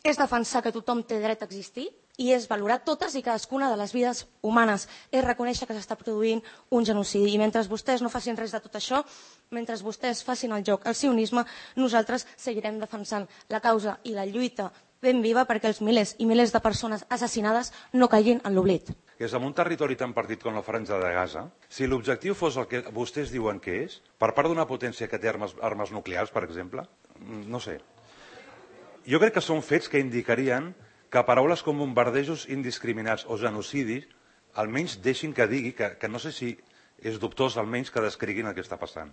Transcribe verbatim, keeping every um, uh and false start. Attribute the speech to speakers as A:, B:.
A: és defensar que tothom té dret a existir i és valorar totes i cadascuna de les vides humanes. És reconèixer que s'està produint un genocidi. I mentre vostès no facin res de tot això, mentre vostès facin el joc al sionisme, nosaltres seguirem defensant la causa i la lluita ben viva perquè els milers i milers de persones assassinades no caiguin en l'oblit.
B: Que és en un territori tan partit com la Franja de Gaza, si l'objectiu fos el que vostès diuen que és, per part d'una potència que té armes, armes nuclears, per exemple, no sé. Jo crec que són fets que indicarien que paraules com bombardejos indiscriminats o genocidi almenys deixin que digui que, que no sé si és dubtós almenys que descriguin el que està passant.